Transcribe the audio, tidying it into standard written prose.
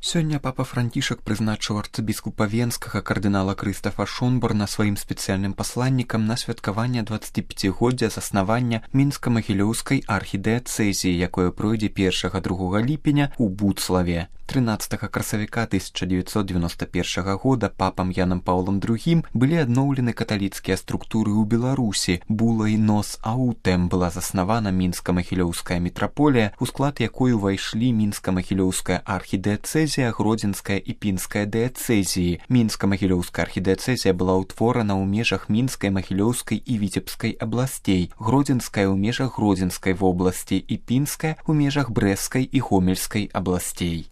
Сёння папа Францішак прызначыў арцыбіскупа Венскага кардынала Крыстафа Шонборна сваім спецыяльным пасланнікам на святкаванне 25годдзя заснавання мінска-магілёўскай архідыяцэзіі, якое пройдзе 1-2 ліпеня ў Буцлаве. 13 красавіка 1991 года папам Янам Паўлам II былі адноўлены каталіцкія структуры ў Беларусі. Булай нос аутэм была заснавана мінска-магілёўская мітраполія, у склад якой увайшлі мінска-магілёўская архідыяцэзія, гродзенская і пінская дыяцэзіі. Мінска-магілёўская архідыяцэзія была ўтворана ў межах мінскай, магілёўскай і віцебскай абласцей, гродзенская ў межах гродзенскай вобласці і пінская ў межах брэсцкай і гомельскай абласцей.